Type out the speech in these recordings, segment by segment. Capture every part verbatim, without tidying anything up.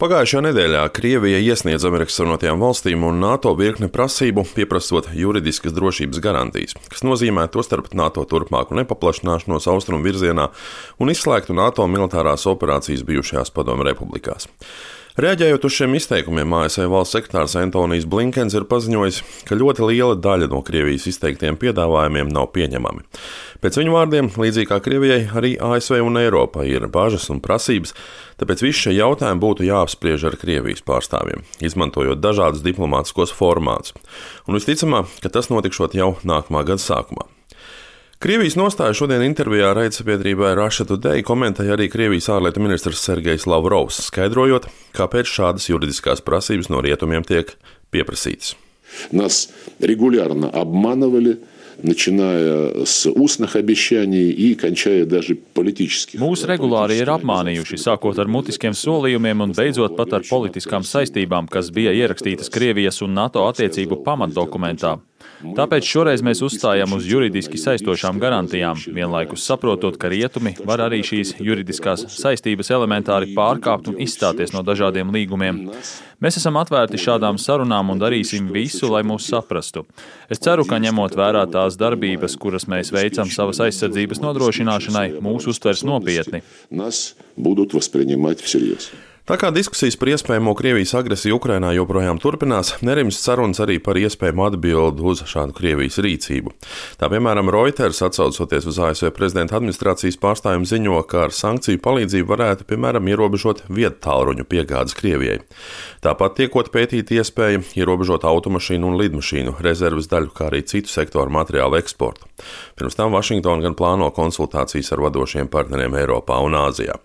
Pagājušajā nedēļā Krievija iesniedza Amerikas Savienotajām valstīm un NATO virkni prasību, pieprasot juridiskas drošības garantijas, kas nozīmē tostarp NATO turpmāku nepaplašināšanos austrumu virzienā un izslēgtu NATO militārās operācijas bijušajās Padomju republikās. Reaģējot uz šiem izteikumiem, A S V valsts sekretārs Antonijs Blinkens ir paziņojis, ka ļoti liela daļa no Krievijas izteiktiem piedāvājumiem nav pieņemami. Pēc viņu vārdiem, līdzīgi kā Krievijai, arī A S V un Eiropai ir bažas un prasības, tāpēc visi šie jautājumi būtu jāapspriež ar Krievijas pārstāvjiem, izmantojot dažādus diplomātiskos formātus. Un visticamāk, ka tas notikšot jau nākamā gada sākumā. Krievijas nostāju šodien intervijā raidsabiedrībai Russia Today komentēja arī Krievijas ārlietu ministrs Sergejs Lavrovs, skaidrojot, kāpēc šādas juridiskās prasības no rietumiem tiek pieprasītas. Нас регулярно обманывали, начиная с устных обещаний и кончая даже политических. Mūs regulāri ir apmānījuši, sākot ar mutiskiem solījumiem un beidzot pat ar politiskām saistībām, kas bija ierakstītas Krievijas un NATO attiecību pamatdokumentā. Tāpēc šoreiz mēs uzstājam uz juridiski saistošām garantijām, vienlaikus saprotot, ka rietumi var arī šīs juridiskās saistības elementāri pārkāpt un izstāties no dažādiem līgumiem. Mēs esam atvērti šādām sarunām un darīsim visu, lai mūs saprastu. Es ceru, ka ņemot vērā tās darbības, kuras mēs veicam savas aizsardzības nodrošināšanai, mūs uztvers nopietni. Tā kā diskusijas par iespējamo Krievijas agresiju Ukrainā joprojām turpinās, nerimst sarunas arī par iespējamu atbildi uz šādu Krievijas rīcību. Tā piemēram Reuters, atsaucoties uz A S V prezidenta administrācijas pārstāvjiem, ziņo, ka ar sankciju palīdzību varētu, piemēram, ierobežot viedtālruņu piegādes Krievijai. Tāpat tiekot pētīta iespēja ierobežot automašīnu un lidmašīnu rezerves daļu, kā arī citu sektoru materiālu eksportu. Pirms tam Vašingtona gan plāno konsultācijas ar vadošiem partneriem Eiropā un Āzijā.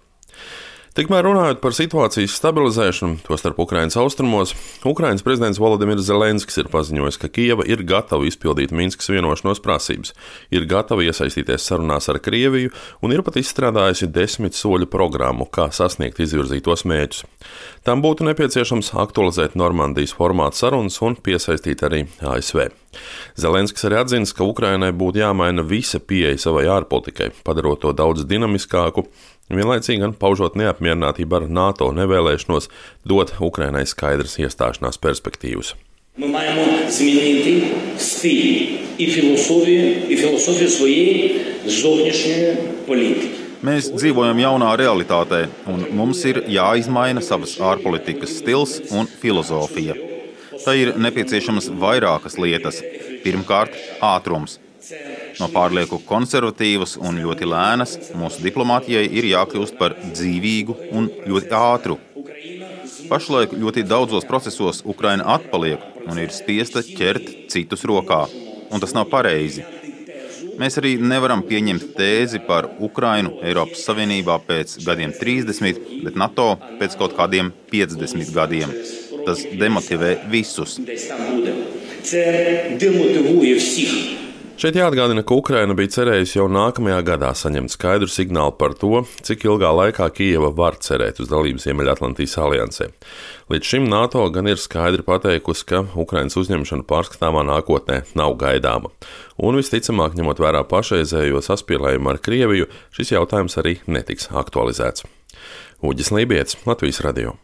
Tikmēr runājot par situācijas stabilizēšanu, tostarp Ukrainas austrumos, Ukrainas prezidents Volodimirs Zelenskis ir paziņojis, ka Kijeva ir gatava izpildīt Minskas vienošanos prasības, ir gatava iesaistīties sarunās ar Krieviju un ir pat izstrādājusi desmit soļu programmu, kā sasniegt izvirzītos mērķus. Tam būtu nepieciešams aktualizēt Normandijas formātu sarunas un piesaistīt arī A S V. Zelenskis arī atzīst, ka Ukrainai būtu jāmaina visa pieeja savai ārpolitikai, padarot to daudz dinamiskāku, vienlaicīgi gan paužot neapmierinātību ar NATO nevēlēšanos dot Ukrainai skaidras iestāšanās perspektīvas. Ми маємо змінити стиль і філософію, і філософію своєї зовнішньої політики. Mēs dzīvojam jaunā realitātē, un mums ir jāizmaina savas ārpolitikas stils un filozofija. Tā ir nepieciešamas vairākas lietas. Pirmkārt, ātrums. No pārlieku konservatīvas un ļoti lēnas mūsu diplomātijai ir jākļūst par dzīvīgu un ļoti ātru. Pašlaik ļoti daudzos procesos Ukraina atpaliek un ir spiesta ķert citus rokā, un tas nav pareizi. Mēs arī nevaram pieņemt tēzi par Ukrainu Eiropas Savienībā pēc gadiem trīsdesmit, bet NATO pēc kaut kādiem piecdesmit gadiem. Tas demotivē visus. Šeit jāatgādina, ka Ukraina bija cerējusi jau nākamajā gadā saņemt skaidru signālu par to, cik ilgā laikā Kijeva var cerēt uz dalību Ziemeļatlantijas aliansē. Līdz šim NATO gan ir skaidri pateikusi, ka Ukrainas uzņemšana pārskatāmā nākotnē nav gaidāma. Un visticamāk, ņemot vērā pašreizējo saspīlējumu ar Krieviju, šis jautājums arī netiks aktualizēts. Uģis Lībietis, Latvijas radio.